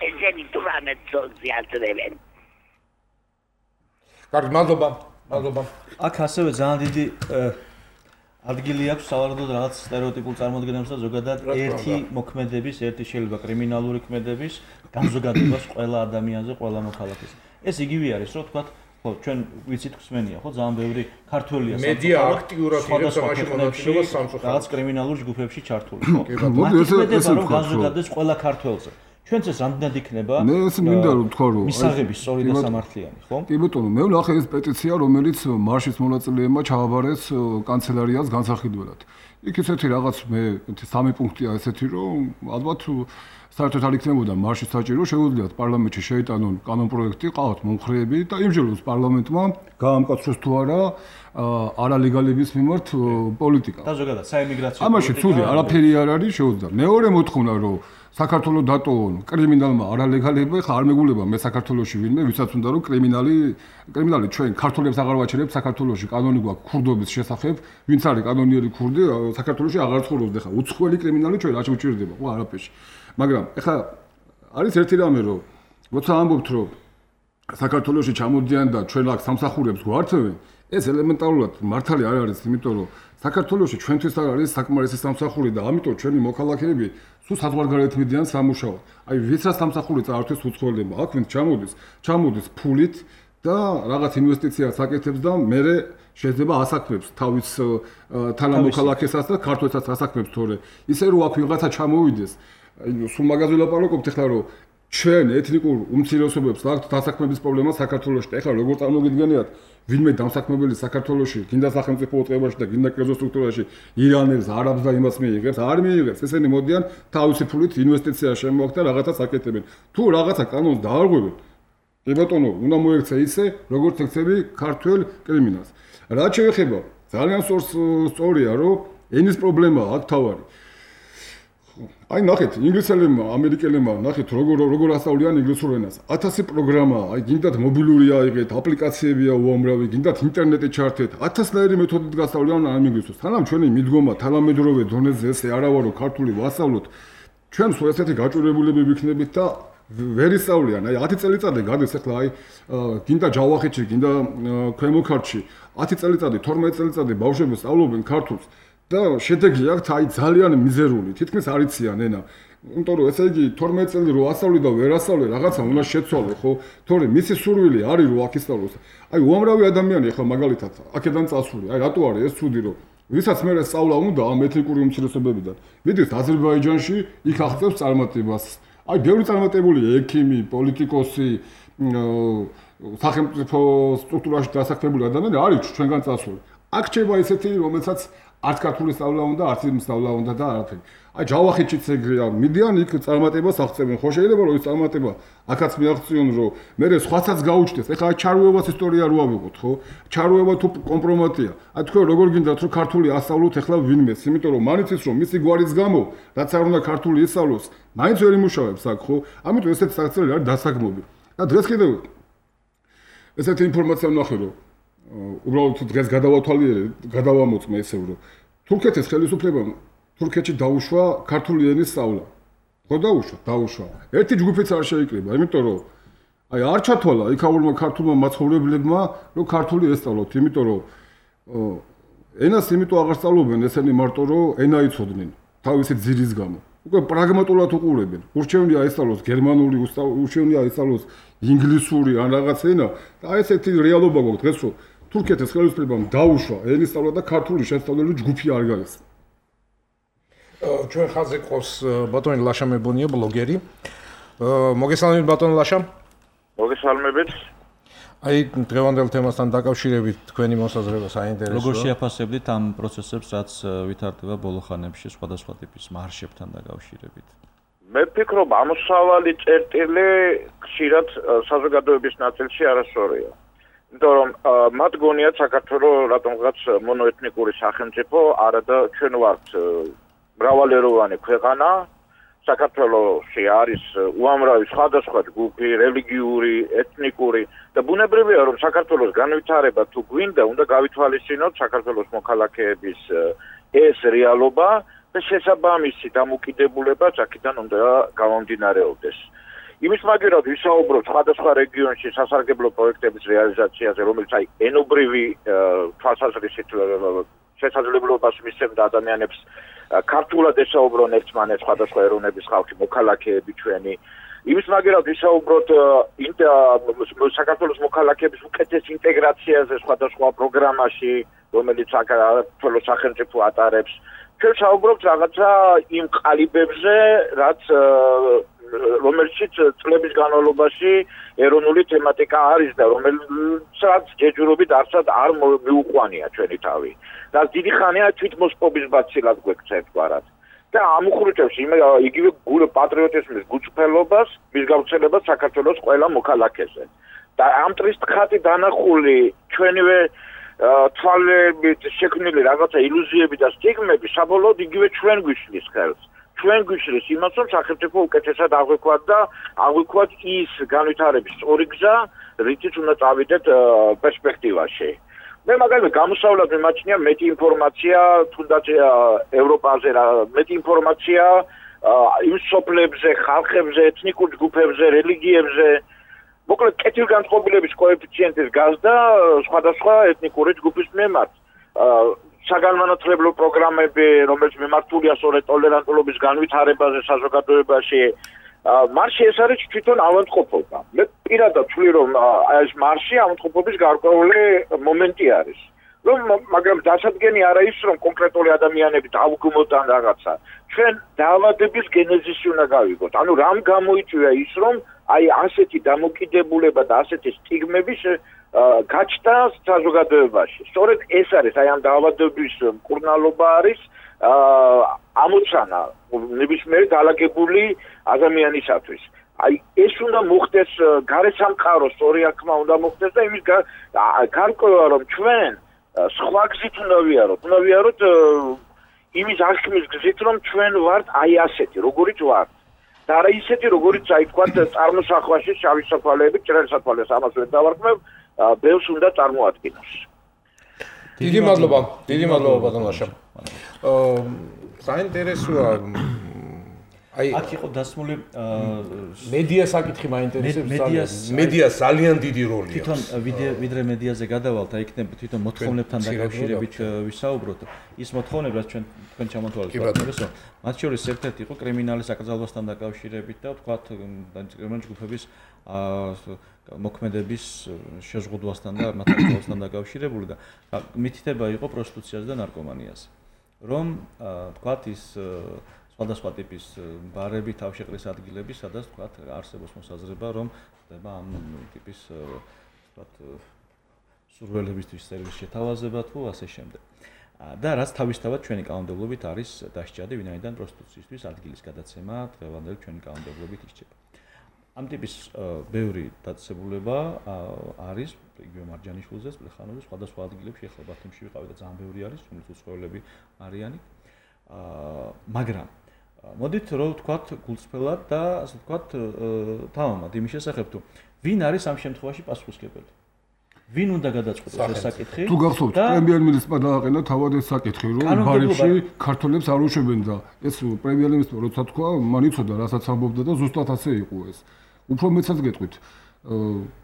ესენი თურმე ძოლზე აზრევენ. კარგი, მადლობა. მადლობა. აქ ასევე ძალიან დიდი ადგილი აქვს სავარაუდოდ რაღაც სტერეოტიპულ წარმოდგენებს და ზოგადად ერთი მოქმედების, ერთი შეიძლება კრიმინალური ქმედების განზოგადებას ყველა ადამიანზე, ყველა მოქალაქეს. ეს იგივე არის, რომ თქვათ, ხო, ჩვენ ვიცით ხსმენია, ხო, ძალიან ბევრი ქართველია სამწუხაროდ. მედია აქტიურად იღებს ამაში მონაწილეობას სამწუხაროდ. რაღაც კრიმინალურ ჯგუფებში ჩართული, ხო. მოდი ესე ესე რომ განზოგადდეს ყველა ქართველზე. ჩვენც ეს რამდენად იქნება? მე ეს მინდა რომ თქვა რომ მისაღები სწორი და სამართლიანი, ხო? კი ბატონო, მე ვნახე ეს პეტიცია, რომელიც მარშის მონაწილეებმა ჩააბარეს კანცელარიას განსახილველად. იქ ესეთი რაღაც მე სამი პუნქტია ესეთი რომ ალბათ საერთოდ არ იქნებოდა მარშის საჭირო, შეუძლიათ პარლამენტში შეიტანონ კანონპროექტი, ყავთ მომხრეები და იმჯეროს პარლამენტმა გაამკაცროს თუ არა არალეგალების მიმართ პოლიტიკა. და ზოგადად საიმიგრაციო ამაში ცუდი არაფერი არ არის, შეუძლია. მეორე მოთხოვნა რომ საქართველოს დატოვონ კრიმინალმა არალეგალები, ხა არ მეგულება მე საქართველოში ვინმე, ვისაც უნდა რომ კრიმინალი კრიმინალი ჩვენ ქართველებს აღარ ვაჩერებთ საქართველოში, კანონი გვაქვს ქურდობის შესახებ, ვინც არის კანონიერი ქურდი, საქართველოში აღარ ცხოვრობს და ხა უცხოელი კრიმინალი ჩვენ არ შეუჭირდება, ხო არაფერში. მაგრამ ეხლა არის ერთი რამე რომ როცა ამბობთ რომ საქართველოში ჩამოდიან და ჩვენ აქ სამსახურებს გვართვენ, ეს ელემენტარულად მართალი არ არის, იმიტომ რომ საქართველოში ჩვენთვის არ არის საკმარისი სამსახური და ამიტომ ჩვენი მოქალაქეები სულ საზღვარგარეთ მიდიან სამუშაოდ. აი ვისაც სამსახური წაართვეს უცხოელებმა, აქ ვინც ჩამოდის, ჩამოდის ფულით და რაღაც ინვესტიციას აკეთებს და მერე შეიძლება ასაქმებს თავის თანამოქალაქესაც და ქართველსაც ასაქმებს, თორე ისე რომ აქ ვიღაცა ჩამოვიდეს, აი სულ მაგაზე ვლაპარაკობთ ახლა რომ ჩვენ ეთნიკურ უმცირესობებს აქვს დასაქმების პრობლემა საქართველოში. ეხლა როგორ წარმოგიდგენიათ, ვინმე დამსაქმებელი საქართველოში, გინდა სახელმწიფო უწყებაში და გინდა კერძო სტრუქტურაში ირანელს, არაბს და იმას მიიღებს, არ მიიღებს. ესენი მოდიან თავისი ფულით ინვესტიცია შემოაქვს და რაღაცას აკეთებენ. თუ რაღაცა კანონს დაარღვევენ, კი ბატონო, უნდა მოექცე ისე, როგორც ექცები ქართველ კრიმინალს. რაც შეეხება, ძალიან სწორია, რომ ენის პრობლემაა აქ თავარი. აი ნახეთ, ინგლისელებმა, ამერიკელებმა ნახეთ როგორ როგორ ასწავლიან ინგლისურ ენას. ათასი პროგრამაა, აი გინდათ მობილური აიღეთ, აპლიკაციებია უამრავი, გინდათ ინტერნეტი ჩართეთ, ათასნაირი მეთოდით გასწავლიან ამ ინგლისურს. თანამ ჩვენი მიდგომა თანამედროვე დონეზე ესე არა ვარო ქართული ვასწავლოთ. ჩვენ სულ ესეთი გაჭირებულები ვიქნებით და ვერ ისწავლიან. აი ათი წელიწადი გადის ახლა აი გინდა ჯავახეთში, გინდა ქვემო ქართლში. ათი წელიწადი, თორმეტი წელიწადი ბავშვები სწავლობენ ქართულს. და შედეგი აქვს აი ძალიან მიზერული, თითქმის არ იციან ენა. იმიტომ რომ ესე იგი თორმეტი წელი რო ასწავლე და ვერ ასწავლე, რაღაცა უნდა შეცვალო, ხო? თორე მისი სურვილი არის რომ აქ ისწავლოს. აი უამრავი ადამიანი ახლა მაგალითად აქედან წასული. აი რატო არის ეს ცუდი რომ ვისაც მე სწავლა უნდა ამ ეთნიკური უმცირესობებიდან. მიდის აზერბაიჯანში, იქ აღწევს წარმატებას. აი ბევრი წარმატებული ექიმი, პოლიტიკოსი, სახელმწიფო სტრუქტურაში დასაქმებული ადამიანი არის ჩვენგან წასული. აქ ჩება ისეთი რომელსაც არც ქართული სწავლა უნდა, არც იმ სწავლა უნდა და არაფერი. აი ჯავახეთშიც ეგრეა, მიდიან იქ წარმატებას აღწევენ. ხო შეიძლება რომ ის წარმატება აქაც მიაღწიონ, რომ მე სხვაცაც გაუჩნდეს. ეხლა ჩარუევას ისტორია რო ავიღოთ, ხო? ჩარუევა თუ კომპრომატია. აი თქვენ როგორ გინდათ რომ ქართული ასწავლოთ ეხლა ვინმეს, იმიტომ რომ მაინც ის რომ მისი გვარის გამო, რაც არ უნდა ქართული ისწავლოს, მაინც ვერ იმუშავებს აქ, ხო? ამიტომ ესეთი საქციელი არის დასაგმობი. და დღეს კიდევ ესეთი ინფორმაცია ვნახე, რომ უბრალოდ დღეს გადავათვალიერე, გადავამოწმე ესე რომ თურქეთის ხელისუფლებამ თურქეთში დაუშვა ქართული ენის სწავლა. ხო დაუშვა, დაუშვა. ერთი ჯგუფიც არ შეიკრიბა, იმიტომ რომ აი არ ჩათვალა იქაურმა ქართულმა მაცხოვრებლებმა, რომ ქართული ესწავლოთ, იმიტომ რომ ენას იმიტომ აღარ სწავლობენ ესენი მარტო რომ ენა იცოდნენ თავისი ძირის გამო. უკვე პრაგმატულად უყურებენ. ურჩევნია ესწავლოს გერმანული, ურჩევნია ესწავლოს ინგლისური ან რაღაც ენა და აი ესეთი რეალობა გვაქვს დღეს რომ თურქეთის ხელისუფლებამ დაუშვა ენის სწავლა და ქართული შესწავლელი ჯგუფი არ გაიხსნა. ჩვენ ხაზზე ყავს ბატონი ლაშა მებონია, ბლოგერი. მოგესალმებით ბატონ ლაშა. მოგესალმებით. აი დღევანდელ თემასთან დაკავშირებით თქვენი მოსაზრება საინტერესოა. როგორ შეაფასებდით ამ პროცესებს, რაც ვითარდება ბოლო ხანებში სხვადასხვა ტიპის მარშებთან დაკავშირებით? მე ვფიქრობ, ამოსავალი წერტილი ხშირად საზოგადოების ნაწილში არასწორია. იმიტომ რომ მათ გონიათ საქართველოს რატომღაც მონოეთნიკური სახელმწიფო, არა და ჩვენ ვართ მრავალეროვანი ქვეყანა. საქართველოში არის უამრავი სხვადასხვა ჯგუფი, რელიგიური, ეთნიკური და ბუნებრივია რომ საქართველოს განვითარება თუ გვინდა, უნდა გავითვალისწინოთ საქართველოს მოქალაქეების ეს რეალობა და შესაბამისი დამოკიდებულება აქედან უნდა გამომდინარეობდეს. იმის მაგერად ვისაუბროთ სხვადასხვა რეგიონში სასარგებლო პროექტების რეალიზაციაზე, რომელიც აი ენობრივი თვალსაზრისით შესაძლებლობას მისცემდა ადამიანებს ქართულად ესაუბრონ ერთმანეთს სხვადასხვა ეროვნების ხალხი, მოქალაქეები ჩვენი. იმის მაგერად ვისაუბროთ საქართველოს მოქალაქეების უკეთეს ინტეგრაციაზე სხვადასხვა პროგრამაში, რომელიც საქართველოს სახელმწიფო ატარებს. ჩვენ საუბრობთ რაღაცა იმ ყალიბებზე, რაც რომელშიც წლების განმავლობაში ეროვნული თემატიკა არის და რომელსაც ჯეჯურობით არცად არ მიუყვანია ჩვენი თავი. და დიდი ხანია თვითმოსპობის ბაცილად გვექცა ერთგვარად. და ამუხრუჭებს იგივე პატრიოტიზმის გულწრფელობას, მის გავრცელებას საქართველოს ყველა მოქალაქეზე. და ამ ტრისტხატი დანახული ჩვენივე თვალებით შექმნილი რაღაცა ილუზიები და სტიგმები საბოლოოდ იგივე ჩვენ გვიშლის ხელს. ჩვენ გვიშლის იმას, რომ სახელმწიფო უკეთესად აღვიქვათ და აღვიქვათ ის განვითარების სწორი გზა, რითიც უნდა წავიდეთ პერსპექტივაში. მე მაგალითად გამოსავლად მიმაჩნია მეტი ინფორმაცია თუნდაც ევროპაზე, მეტი ინფორმაცია იმ სოფლებზე, ხალხებზე, ეთნიკურ ჯგუფებზე, რელიგიებზე. მოკლედ კეთილგანწყობილების კოეფიციენტის გაზდა სხვადასხვა ეთნიკური ჯგუფის მიმართ. საგანმანათლებლო პროგრამები, რომელიც მიმართულია სწორედ ტოლერანტულობის განვითარებაზე საზოგადოებაში, მარში ეს არის თვითონ ავადმყოფობა. მე პირადად ვთვლი, რომ ეს მარში ავადმყოფობის გარკვეული მომენტი არის. რომ მაგრამ დასადგენი არა ის, რომ კონკრეტული ადამიანები დავგმოთ ან რაღაცა. ჩვენ დაავადების გენეზისი უნდა გავიგოთ. ანუ რამ გამოიწვია ის, რომ აი ასეთი დამოკიდებულება და ასეთი სტიგმები გაჩნდა საზოგადოებაში. სწორედ ეს არის, აი ამ დაავადების მკურნალობა არის ამოცანა ნებისმიერი დაალაგებული ადამიანისათვის. აი ეს უნდა მოხდეს გარესამყაროს სწორი აღქმა უნდა მოხდეს და იმის გარკვევა რომ ჩვენ სხვა გზით უნდა ვიაროთ. უნდა ვიაროთ იმის აღქმის გზით, რომ ჩვენ ვართ აი ასეთი, როგორიც ვართ. და არა ისეთი, როგორიც აი თქვა წარმოსახვაში შავი საფალეები, ჭრელი საფალეს ამას ვერ დავარქმევ, ბევრს უნდა წარმოადგინოს. დიდი მადლობა, დიდი მადლობა ბატონ ლაშა. აა საინტერესოა აი აქ იყო დასმული მედია საკითხი მაინტერესებს. მედია ძალიან დიდი როლი აქვს. თვითონ ვიდრე მედიაზე გადავალთ, აი იქნებ თვითონ მოთხოვნებთან დაკავშირებით ვისაუბროთ. ის მოთხოვნები, რაც ჩვენ თქვენ ჩამოთვალეთ, ბატონო, მათ შორის ერთ-ერთი იყო კრიმინალის აკრძალვასთან დაკავშირებით და ვთქვათ, კრიმინალის ჯგუფების მოქმედების შეზღუდვასთან და მათ აკრძალვასთან დაკავშირებული და მითითება იყო პროსტიტუციაზე და ნარკომანიაზე. რომ ვთქვათ ის სხვადასხვა ტიპის ბარები, თავშეყრის ადგილები, სადაც ვთქვათ არსებობს მოსაზრება, რომ ხდება ამ ტიპის ვთქვათ სურვილებისთვის სერვის შეთავაზება თუ ასე შემდეგ. და რაც თავისთავად ჩვენი კანონმდებლობით არის დასჭადი, ვინაიდან პროსტიტუციისთვის ადგილის გადაცემა დღევანდელი ჩვენი კანონმდებლობით ირჩება. ამ ტიპის ბევრი დაწესებულება არის იგივე მარჯანიშვილზეც, პლეხანოზე, სხვადასხვა ადგილებში, ახლა ბათუმში ვიყავი და ძალიან ბევრი არის, რომელიც უცხოელები არიანი. მაგრამ მოდით რომ ვთქვათ გულწრფელად და ასე ვთქვათ თავმად იმის შესახებ თუ ვინ არის ამ შემთხვევაში პასუხისმგებელი? ვინ უნდა გადაწყვეტოს ეს საკითხი? თუ გახსოვთ, პრემიერ-მინისტრმა დააყენა თავად ეს საკითხი, რომ ბარებში ქართველებს არ უშვებენ და ეს პრემიერ-მინისტრმა როცა თქვა, მან იცოდა, რასაც ამბობდა და ზუსტად ასე იყო ეს. უფრო მეცაც გეტყვით,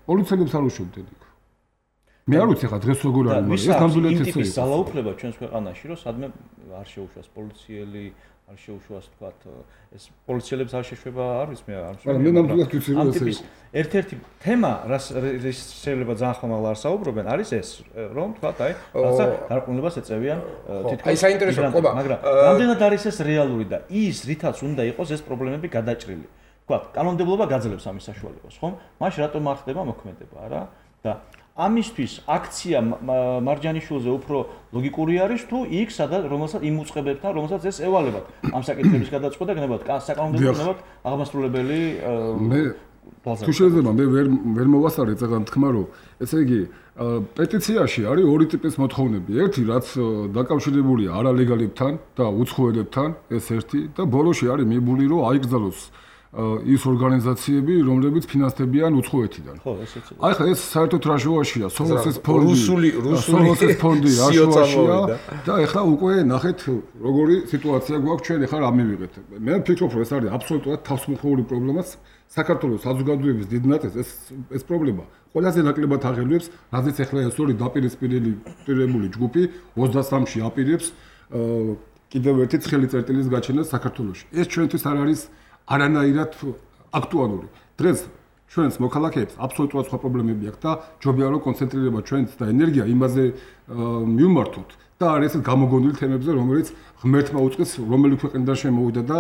პოლიციელებს არ უშვებდნენ იქ. მე არ ვიცი ხა დღეს როგორ არის, მაგრამ ეს ნამდვილად ესე იყო. ის ძალაუფლება ჩვენს ქვეყანაში, რომ სადმე არ შეუშვას პოლიციელი, არ შეუშვას თქვათ ეს პოლიციელებს არ შეშვება, არ ვიცი მე არ ვიცი. მაგრამ მე ნამდვილად ვიცი რომ ესე იყო. ერთ-ერთი თემა, რაც შეიძლება ძალიან ხომალ არ საუბრობენ, არის ეს, რომ თქვათ აი, რაცა გარყვნილებას ეწევიან თითქოს. აი საინტერესო ყობა, მაგრამ რამდენად არის ეს რეალური და ის რითაც უნდა იყოს ეს პრობლემები გადაჭრილი. თქვათ, კანონმდებლობა გაძლევს ამის საშუალებას, ხომ? მაშინ რატომ არ ხდება მოქმედება რა? და ამისთვის აქცია მარჯანიშვილზე უფრო ლოგიკური არის თუ იქ სადაც რომელსაც იმ უწყებებთან რომელსაც ეს ევალებათ ამ საკითხების გადაწყვეტა გნებათ საკანონმდებლო გნებათ აღმასრულებელი მე თუ შეიძლება მე ვერ ვერ მოვასწარეთ ზოგადად თქმა რომ ესე იგი პეტიციაში არის ორი ტიპის მოთხოვნები ერთი რაც დაკავშირებულია არალეგალებთან და უცხოელებთან ეს ერთი და ბოლოში არის მიბული რომ აიგზავნოს ის ორგანიზაციები, რომლებიც ფინანსდებიან უცხოეთიდან. ხო, ესეც. აი ხა ეს საერთოდ რა შუაშია, სოროსის ფონდი, რუსული რუსული ფონდი რა შუაშია და ეხლა უკვე ნახეთ როგორი სიტუაცია გვაქვს ჩვენ ეხლა რა მივიღეთ. მე ვფიქრობ რომ ეს არის აბსოლუტურად თავისუფლებული პრობლემა საქართველოს საზოგადოების დიდ ნაწილს ეს ეს პრობლემა ყველაზე ნაკლებად აღელვებს, რადგან ეხლა ეს ორი დაპირისპირებული ჯგუფი ოცდასამში აპირებს კიდევ ერთი ცხელი წერტილის გაჩენას საქართველოში. ეს ჩვენთვის არ არის არანაირად აქტუალური. დღეს ჩვენს მოქალაქეებს აბსოლუტურად სხვა პრობლემები აქვს და ჯობია რომ კონცენტრირება ჩვენს და ენერგია იმაზე მივმართოთ და არის ეს გამოგონილი თემებზე, რომელიც ღმერთმა უწყეს, რომელი ქვეყნიდან შემოვიდა და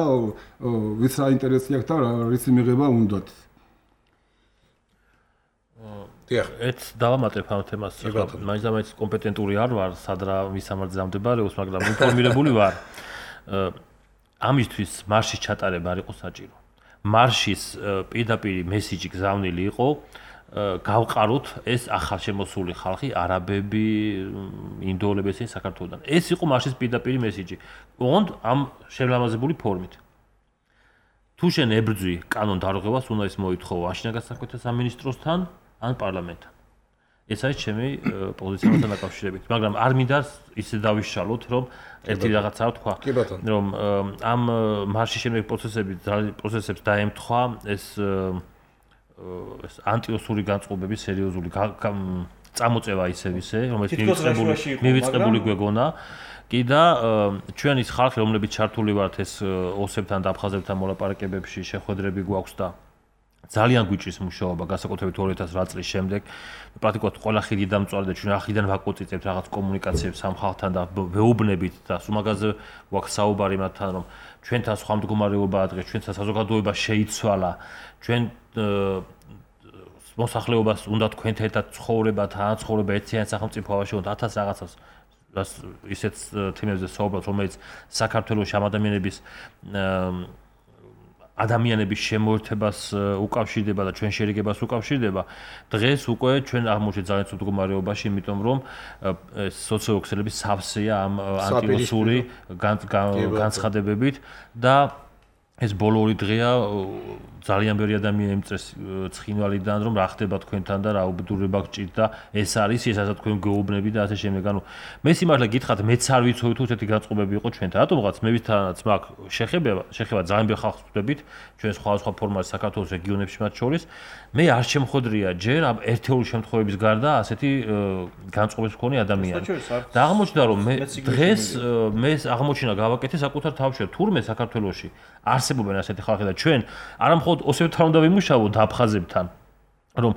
ვის რა ინტერესი აქვს და რის მიღება უნდათ. დიახ, ეს დავამატებ ამ თემას. მაინც და მაინც კომპეტენტური არ ვარ, სად რა მისამართზე ამდებარეობს, მაგრამ ინფორმირებული ვარ. ამისთვის მარშის ჩატარება არ იყო საჭირო. მარშის პირდაპირ მესიჯი გზავნილი იყო გავყაროთ ეს ახალ შემოსული ხალხი, არაბები, ინდოელები ესენი საქართველოსდან. ეს იყო მარშის პირდაპირ მესიჯი. ოღონდ ამ შევლამაზებული ფორმით. თუ შენ ებრძვი კანონ დარღვევას, უნდა ის მოითხოვო აშინაგან საქმეთა სამინისტროსთან ან პარლამენტთან. ეს არის ჩემი პოზიცია მასთან დაკავშირებით, მაგრამ არ მინდა ისე დავიშალოთ, რომ ერთი რაღაცა ვთქვა, რომ ამ მარშის შემდეგ პროცესები პროცესებს დაემთხვა ეს ეს ანტიოსური განწყობების სერიოზული წამოწევა ისევ ისე, რომელიც მივიწყებული მივიწყებული გვეგონა. კი და ჩვენ ის ხალხი, რომლებიც ჩართული ვართ ეს ოსებთან და აფხაზებთან მოლაპარაკებებში, შეხვედრები გვაქვს და ძალიან გვიჭრის მუშაობა, განსაკუთრებით ორი ათას რვა წლის შემდეგ. პრაქტიკულად ყველა ხიდი დამწვარი და ჩვენ ახიდან ვაკოწიწებთ რაღაც კომუნიკაციებს ამ ხალხთან და ვეუბნებით და სულ მაგაზე გვაქვს საუბარი მათთან, რომ ჩვენთან სხვა მდგომარეობაა დღეს, ჩვენთან საზოგადოება შეიცვალა, ჩვენ მოსახლეობას უნდა თქვენთან ერთად ცხოვრება, თანაცხოვრება ერთიანი სახელმწიფოში უნდა ათას რაღაცას ისეთ თემებზე საუბრობთ, რომელიც საქართველოს ამ ადამიანების ადამიანების შემოერთებას უკავშირდება და ჩვენ შერიგებას უკავშირდება. დღეს უკვე ჩვენ აღმოჩნდით ძალიან ცუდ მდგომარეობაში, იმიტომ რომ სოციოექსელების სავსეა ამ ანტიოსური განცხადებებით და ეს ბოლო ორი დღეა ძალიან ბევრი ადამიანი იმწეს ცხინვალიდან, რომ რა ხდება თქვენთან და რა უბედურება გჭირთ და ეს არის ესაც თქვენ გეუბნები და ასე შემდეგ. ანუ მე სიმართლე გითხრათ, მეც არ ვიცოდი თუ ესეთი განწყობები იყო ჩვენთან. რატომღაც მე ვithანაც მაგ შეხება, შეხება ძალიან ბევრ ხალხს ვხვდებით, ჩვენ სხვადასხვა ფორმატში საქართველოს რეგიონებში მათ შორის. მე არ შემხვედრია ჯერ ამ ერთეული შემთხვევების გარდა ასეთი განწყობების მქონე ადამიანი. და აღმოჩნდა რომ მე დღეს მე აღმოჩინა გავაკეთე საკუთარ თავში, თურმე საქართველოში არსებობენ ასეთი ხალხი და ჩვენ არა მხოლოდ ოსებთან უნდა ვიმუშაოთ და აფხაზებთან, რომ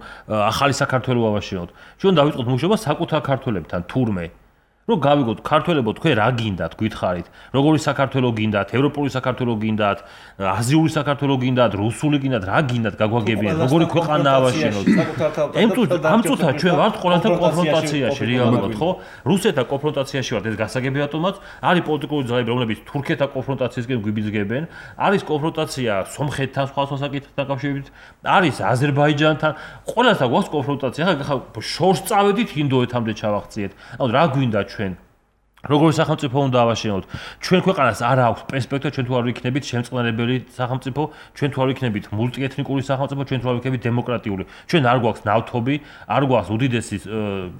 ახალი საქართველო ავაშენოთ. ჩვენ დავიწყოთ მუშაობა საკუთარ ქართველებთან, თურმე. რომ გავიგოთ ქართველებო თქვენ რა გინდათ, გითხარით, როგორი საქართველო გინდათ, ევროპული საქართველო გინდათ, აზიური საქართველო გინდათ, რუსული გინდათ, რა გინდათ გაგვაგებინათ, როგორი ქვეყანა ავაშენოთ. ამ წუთად ჩვენ ვართ ყველასთან კონფრონტაციაში რეალურად, ხო? რუსეთთან კონფრონტაციაში ვართ, ეს გასაგები რატომაც? არის პოლიტიკური ძალები, რომლებიც თურქეთთან კონფრონტაციისკენ გვიბიძგებენ, არის კონფრონტაცია სომხეთთან სხვადასხვა საკითხთან დაკავშირებით, არის აზერბაიჯანთან, ყველასთან გვაქვს კონფრონტაცია. ახლა შორს წავედით ინდოეთამდე ჩავახციეთ. ანუ რა გვინდა ჩვენ როგორი სახელმწიფო უნდა ავაშენოთ? ჩვენ ქვეყანას არ აქვს პერსპექტივა, ჩვენ თუ არ ვიქნებით შემწყნარებელი სახელმწიფო, ჩვენ თუ არ ვიქნებით მულტიეთნიკური სახელმწიფო, ჩვენ თუ არ ვიქნებით დემოკრატიული. ჩვენ არ გვაქვს ნავთობი, არ გვაქვს უდიდესი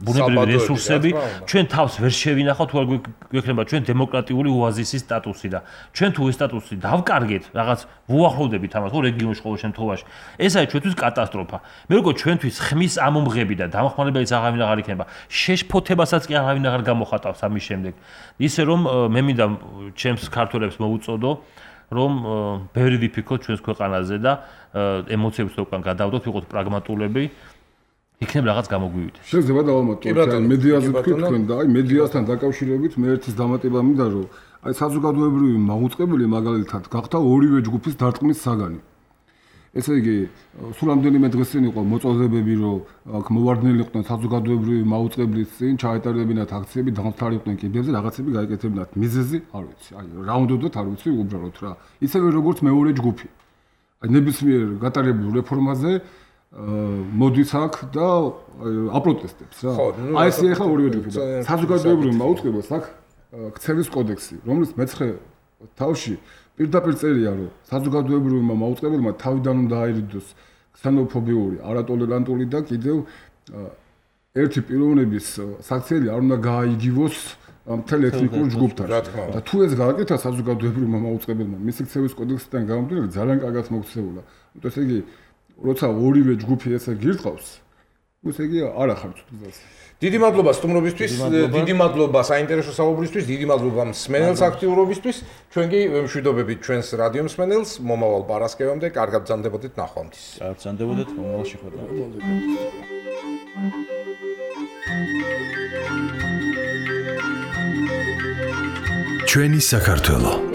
ბუნებრივი რესურსები, ჩვენ თავს ვერ შევინახავთ თუ არ გვექნება ჩვენ დემოკრატიული ოაზისის სტატუსი და ჩვენ თუ ეს სტატუსი დავკარგეთ, რაღაც ვუახლოვდებით ამას, ხო, რეგიონში ყოველ შემთხვევაში. ეს არის ჩვენთვის კატასტროფა. მე როგორ ჩვენთვის ხმის ამომღები და დამახმარებელიც აღარავინ აღარ იქნება, შეშფოთებასაც კი აღარავინ აღარ გამოხატავს ამის შემდეგ. ისე რომ მე მინდა ჩემს ქართველებს მოვუწოდო, რომ ბევრი ვიფიქროთ ჩვენს ქვეყანაზე და ემოციებს უკან გადავდოთ, ვიყოთ პრაგმატულები, იქნებ რაღაც გამოგვივიდეს. შეიძლება დავამატოთ, მედიაზე თქვით თქვენ და აი მედიასთან დაკავშირებით მე ერთის დამატება მინდა, რომ აი საზოგადოებრივი მაუწყებელი მაგალითად გახდა ორივე ჯგუფის დარტყმის საგანი. ესე იგი, სულ რამდენიმე დღეს წინ იყო მოწოდებები, რომ აქ მოვარდნილი იყვნენ საზოგადოებრივი მაუწყებლის წინ, ჩაეტარებინათ აქციები, დამთავრებდნენ კიბერზე, რაღაცები გაიკეთებინათ. მიზეზი არ ვიცი. აი, რა უნდათ არ ვიცი უბრალოდ რა. ისევე როგორც მეორე ჯგუფი. აი, ნებისმიერ გატარებულ რეფორმაზე მოდის აქ და აპროტესტებს რა. აი, ეს ახლა ორივე ჯგუფი და საზოგადოებრივი მაუწყებელს აქ ქცევის კოდექსი, რომლის მეცხრე თავში პირდაპირ წერია, რომ საზოგადოებრივმა მაუწყებელმა თავიდან უნდა აირიდოს ქსენოფობიური, არატოლერანტული და კიდევ ერთი პიროვნების საქციელი არ უნდა გააიგივოს მთელ ეთნიკურ ჯგუფთან. და თუ ეს გააკეთა საზოგადოებრივმა მაუწყებელმა მისი ქცევის კოდექსიდან გამომდინარე, ძალიან კარგად მოქცეულა. ესე იგი, როცა ორივე ჯგუფი ესე გირწყავს, ესე იგი არ ახარჯოთ გზას. დიდი მადლობა სტუმრობისთვის, დიდი მადლობა საინტერესო საუბრისთვის, დიდი მადლობა მსმენელს აქტიურობისთვის. ჩვენ კი ვემშვიდობებით ჩვენს რადიო მსმენელს მომავალ პარასკევამდე, კარგად ბრძანდებოდეთ ნახვამდის. კარგად ბრძანდებოდეთ მომავალ შეხვედრამდე. ჩვენი საქართველო